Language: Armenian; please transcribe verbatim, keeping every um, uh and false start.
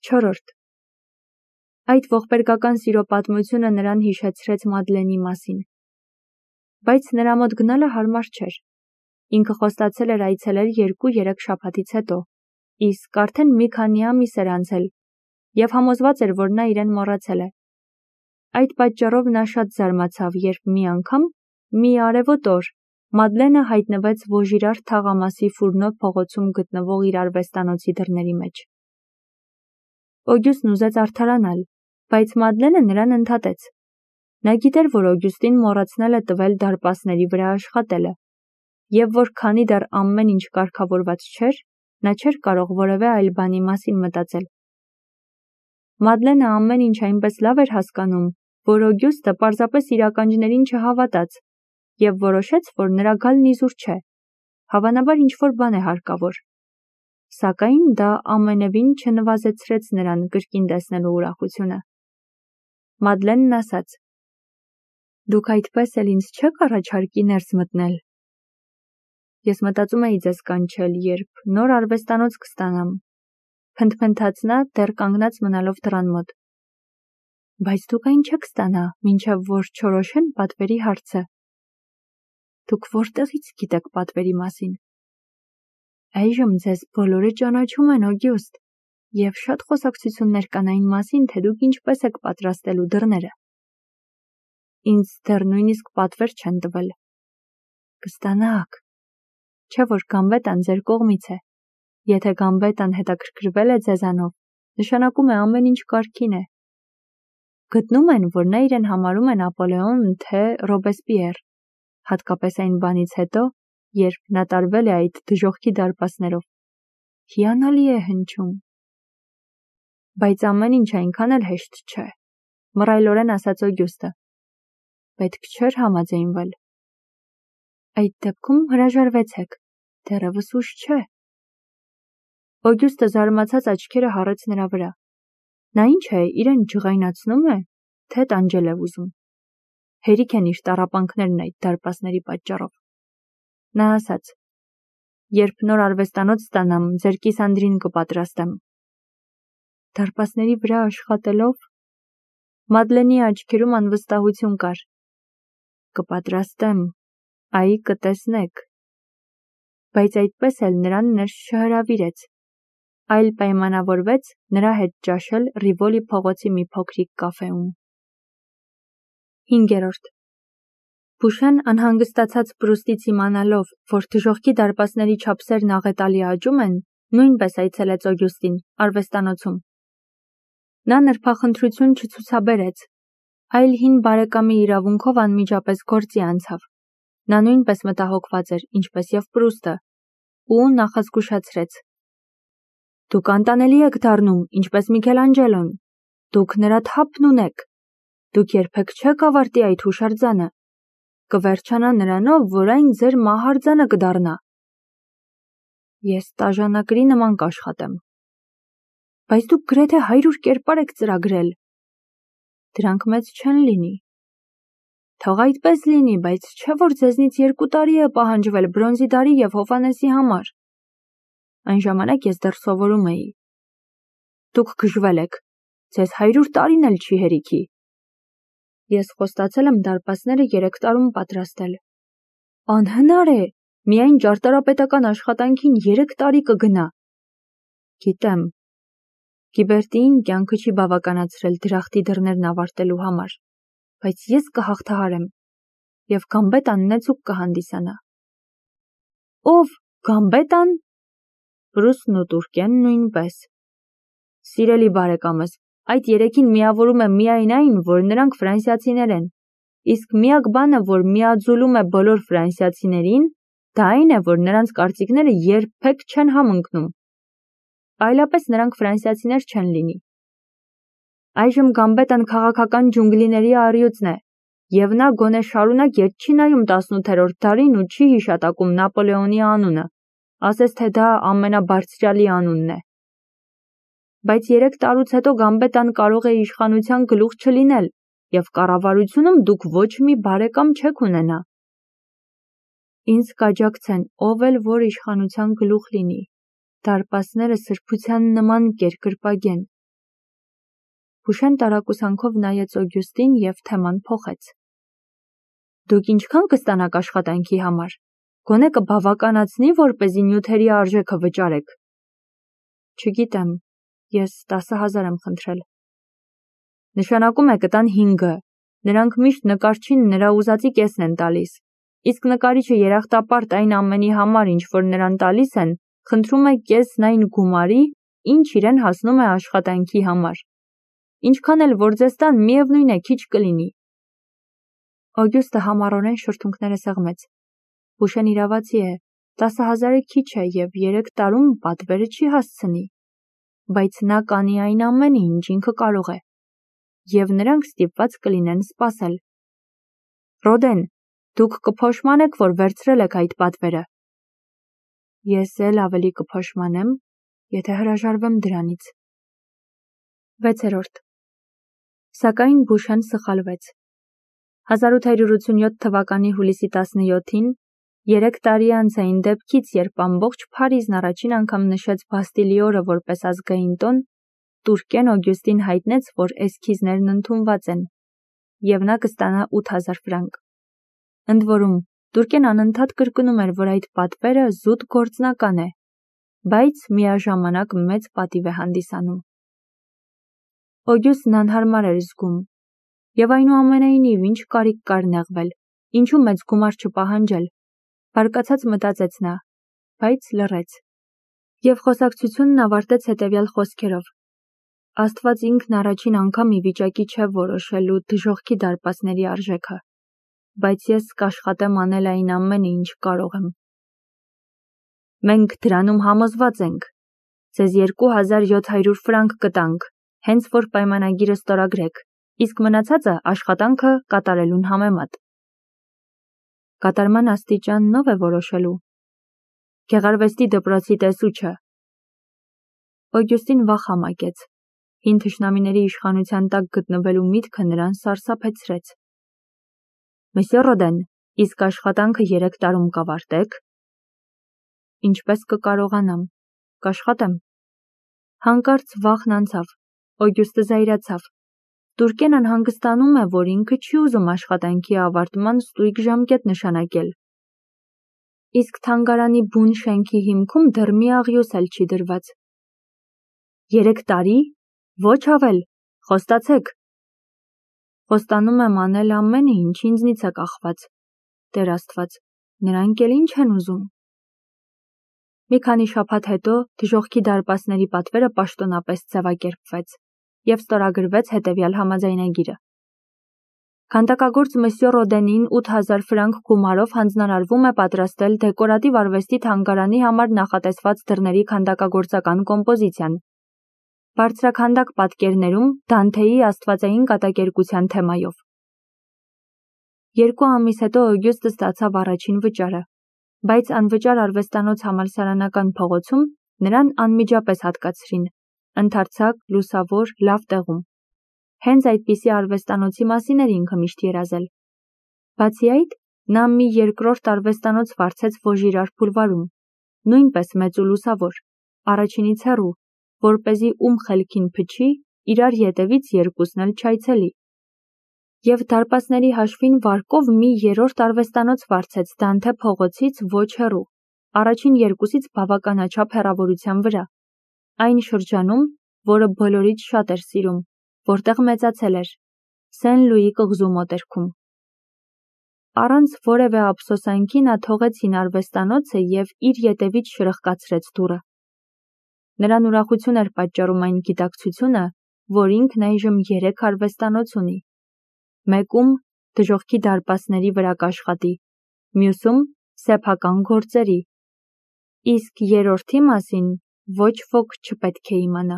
Չորրորդ. Այդ ողբերգական սիրո պատմությունը նրան հիշեցրեց Մադլենի մասին։ Բայց նրա մոտ գնալը հարմար չէր։ Ինքը խոստացել էր այցելել երկու-երեք շաբաթից հետո, իսկ արդեն մի քանի ամիս էր անցել, և համոզված էր, որ նա իրեն մոռացել է։ Այդ պատճառով նա շատ զարմացավ, երբ մի անգամ, մի արևոտ օր, Մադլենը հայտնվեց Վոժիրար թաղամասի Ֆուրնո փողոցում գտնվող իր արվեստանոցի դռների մեջ։ Օգյուստն ուզեց արդարանալ, բայց Մադլենը նրան ընդհատեց։ Նա գիտեր, որ Օգյուստին մոռացնել է տվել դարպասների վրա աշխատելը, և որ քանի դեռ ամեն ինչ կարգավորված չէր, նա չէր կարող որևէ այլ բանի մասին մտածել։ Մադլենը ամեն ինչ այնպես լավ էր հասկանում, որ Օգյուստը պարզապես իր ականջներին չհավատաց և որոշեց, որ նրա գալն իզուր չէ, հավանաբար ինչ-որ բան է հարկավոր։ Սակայն դա ամենևին չնվազեցրեց նրան կրկին տեսնելու ուրախությունը։ Մադլենն ասաց. «Դուք այդպես էլ ինձ չեք առաջարկի ներս մտնել»։ Ես մտածում էի ձեզ կանչել, երբ նոր արվեստանոց կստանամ, փնթփնթաց նա դեռ կանգնած մնալով դռան մոտ։ Բայց դուք այն չեք ստանա, մինչև որ չորոշեն պատվերի հարցը։ Դուք որտեղից գիտեք պատվերի մասին։ Այժմ ձեզ բոլորը ճանաչում են, Օգյուստ, և շատ խոսակցություններ կան այն մասին, թե դուք ինչպես եք պատրաստելու դռները։ Ինձ դեռ նույնիսկ պատվեր չեն տվել։ Կստանաք։ Չէ՞ որ Գամբետան ձեր կողմից է։ Եթե Գամբետան հետաքրքրվել է ձեզանով, նշանակում է ամեն ինչ կարգին է։ Գտնում են, որ նա իրեն համարում է Նապոլեոն, թե Ռոբեսպիեր, հատկապես այն բանից հետո, երբ նա տարվել է այդ դժոխքի դարպասներով։ Հիանալի է հնչում։ Բայց ամեն ինչ այնքան էլ հեշտ չէ, մռայլորեն ասաց Օգյուստը։ Պետք չէր համաձայնվել։ Այդ դեպքում հրաժարվեցեք, դեռևս ուշ չէ։ Օգյուստը զարմացած աչքերը հառեց նրա վրա։ Նա ինչ է, իրեն ջղայնացնում է, թե տանջել է ուզում։ Հերիք են իր տառապանքներն այդ դարպասների պատճառով։ Նա ասաց. «Երբ նոր արվեստանոց ստանամ, ձեր կիսանդրին կպատրաստեմ»։ Դարպասների վրա աշխատելով։ Մադլենի աչքերում անվստահություն կար։ Կպատրաստեմ, այ կտեսնեք։ Բայց այդպես էլ նրան ներս չհրավիրեց, այլ պայմանավորվեց նրա հետ ճաշել Ռիվոլի փողոցի մի փոքրիկ կաֆեում։ Հինգերորդ. Բուշեն անհանգստացած Պրուստից իմանալով, որ դժոխքի դարպասների չափսերն աղետալի աճում են, նույնպես այցելեց Օգյուստին, արվեստանոցում։ Նա նրբախնդրություն չցուցաբերեց, այլ հին բարեկամի իրավունքով անմիջապես գործի անցավ։ Նա նույնպես մտահոգված էր, ինչպես և Պրուստը, ու նախազգուշացրեց. Դուք անտանելի եք դառնում, ինչպես Միքելանջելոն։ Դուք նրա թափն ունեք։ Դուք երբեք չեք ավարտի այդ հուշարձանը։ Կվերջանա նրանով, որ այն ձեր մահարձանը կդառնա։ Ես տաժանակրի նման կաշխատեմ։ Բայց դուք գրեթե հարյուր կերպար եք ծրագրել։ Դրանք մեծ չեն լինի։ Թող այդպես լինի, բայց չէ՞ որ ձեզնից երկու տարի է պահանջվել Բրոնզի դարի և Հոֆանեսի համար։ Այն ժամանակ ես դեռ սովորում էի։ Դուք գժվել եք, ձեզ հարյուր տարին էլ չի հերիքի։ Ես խոստացել եմ դարպասները երեք տարում պատրաստել։ Անհնար է, միայն ճարտարապետական աշխատանքին երեք տարի կգնա։ Գիտեմ։ Գիբերտիին կյանքը չի բավականացրել դրախտի դռներն ավարտելու համար, բայց ես կհաղթահարեմ, և Գամբետան նեցուկ կհանդիսանա։ Ով, Գամբետան։ Պրուստն ու Տուրկեն նույնպես։ Սիրելի բարեկամս, այդ երեքին միավորում է միայն այն, որ նրանք ֆրանսիացիներ են, իսկ միակ բանը, որ միաձուլում է բոլոր ֆրանսիացիներին, դա այն է, որ նրանց կարծիքները երբեք չեն համընկնում։ Այլապես նրանք ֆրանսիացիներ չեն լինի։ Այժմ Գամբետան քաղաքական ջունգլիների առյուծն է, և նա գոնե շարունակ ետ չի նայում տասնութերորդ դարին ու չի հիշատակում Նապոլեոնի անունը, ասես թե դա ամենաբարձրյալի անունն է։ Բայց երեք տարուց հետո Գամբետան կարող է իշխանության գլուխ չլինել, և կառավարությունում դուք ոչ մի բարեկամ չեք ունենա։ Ինձ կաջակցեն, ով էլ որ իշխանության գլուխ լինի, դարպասները սրբության նման կերկրպագեն, Փուշեն տարակուսանքով նայեց Օգյուստին և թեման փոխեց. Դուք ինչքան կստանաք աշխատանքի համար, գոնե կբավականացնի, որպեսզի նյութերի արժեքը վճարեք։ Չգիտեմ, ես տասը հազար եմ խնդրել։ Նշանակում է կտան հինգը, նրանք միշտ նկարչին նրա ուզածի կեսն են տալիս, իսկ նկարիչը երախտապարտ այն ամենի համար, ինչ որ նրան տալիս են, խնդրում է կեսն այն գումարի, ինչ իրեն հասնում է աշխատանքի համար։ Ինչքան էլ որ ձեզ տան, միևնույն է քիչ կլինի։ Օգյուստը համառորեն շրթունքները սեղմեց։ Փուշեն իրավացի է, տասը հազարը քիչ է և երեք տարում պատվերը չի հասցնի, բայց նա կանի այն ամենը, ինչ ինքը կարող է, և նրանք ստիպված կլինեն սպասել։ Ռոդեն, դուք կփոշմանեք, որ վերցրել եք այդ պատվերը։ Ես էլ ավելի կփոշմանեմ, եթե հրաժարվեմ դրանից։ վեցերորդ Սակայն Փուշեն սխալվեց։ հազար ութ հարյուր ութսունյոթ թվականի հուլիսի տասնյոթին, երեք տարի անց այն դեպքից, երբ ամբողջ Փարիզն առաջին անգամ նշեց Բաստիլի օրը որպես ազգային տոն, տուրկեն Օգյուստին հայտնեց, որ էսքիզներն ընդունված են, և նա կստանա ութ հազար ֆրանկ։ Ընդ որում, տուրկեն անընդհատ կրկնում էր, որ այդ պատվերը զուտ գործնական է, բայց միաժամանակ մեծ պատիվ է հանդիսանում։ Օգյուստն անհարմար էր զգում, և այնուամենայնիվ ինչ կարիք կար նեղվել, ինչու մեծ գումար չպահանջել, բարկացած մտածեց նա, բայց լռեց։ Եվ խոսակցությունն ավարտեց հետևյալ խոսքերով. Աստված ինքն առաջին անգամ ի վիճակի չէ որոշելու դժոխքի դարպասների արժեքը, բայց ես կաշխատեմ անել այն ամենը, ինչ կարող եմ։ Մենք դրանում համոզված ենք, ձեզ երկու հազար յոթ հարյուր ֆրանկ կտանք, հենց որ պայմանագիրը ստորագրեք, իսկ մնացածը աշխատանքը կատարելուն համեմատ։ Կատարման աստիճանն ով է որոշելու։ Գեղարվեստի դպրոցի տեսուչը։ Օգյուստին վախ համակեց։ Հին թշնամիների իշխանության տակ գտնվելու միտքը նրան սարսափեցրեց։ Մսье Ռոդեն, իսկ աշխատանքը երեք տարում կավարտեք։ Ինչպես կկարողանամ, կաշխատեմ։ Հանկարծ վախն անցավ, Օգյուստը զայրացավ։ Տուրկեն անհանգստանում է, որ ինքը չի ուզում աշխատանքի ավարտման ստույգ ժամկետ նշանակել։ Իսկ թանգարանի բուն շենքի հիմքում դեռ մի աղյուս էլ չի դրված։ Երեք տարի, ոչ ավել, խոստացեք։ Խոստանում եմ անել ամենը, ինչ ինձնից է կախված։ Տեր Աստված, նրանք էլ ինչ են ուզում։ Մի քանի շաբաթ հետո դժոխքի դարպասների պատվերը պաշտոնապես ձևակերպվեց և ստորագրվեց հետևյալ համաձայնագիրը։ Քանդակագործ մսье Ռոդենին ութ հազար ֆրանկ գումարով հանձնարարվում է պատրաստել դեկորատիվ արվեստի թանգարանի համար նախատեսված դռների քանդակագործական կոմպոզիցիան։ Բարձրաքանդակ պատկերներում Դանթեի աստվածային կատակերգության թեմայով։ Երկու ամիս հետո Օգյուստը ստացավ առաջին վճարը, բայց անվճար արվեստանոց համալսարանական փողոցում նրան անմիջապես հատկացրին, ընդարձակ, լուսավոր, լավ տեղում։ Հենց այդպիսի արվեստանոցի մասին էր ինքը միշտ երազել։ Բացի այդ, նա մի երկրորդ արվեստանոց վարձեց Վոժիրար բուլվարում, նույնպես մեծ ու լուսավոր, առաջինից հեռու, որպեսզի ում խելքին փչի, իրար ետևից երկուսն էլ չայցելի։ Եվ դարպասների հաշվին վարկով մի երրորդ արվեստանոց վարձեց Դանթե փողոցից ոչ հեռու, առաջին երկուսից բավականաչափ հեռավորության վրա, այն շրջանում, որը բոլորից շատ էր սիրում, որտեղ մեծացել էր, Սեն Լուի կղզու մոտերքում։ Առանց որևէ ափսոսանքի նա թողեց հին արվեստանոցը և իր ետևից շրխկացրեց դուռը։ Նրան ուրախություն էր պատճառում այն գիտակցությունը, որ ինքն այժմ երեք արվեստանոց ունի։ Մեկում դժոխքի դարպասների վրա կաշխատի, մյուսում սեփական գործերի, իսկ երրորդի մասին ոչ ոք չպետք է իմանա։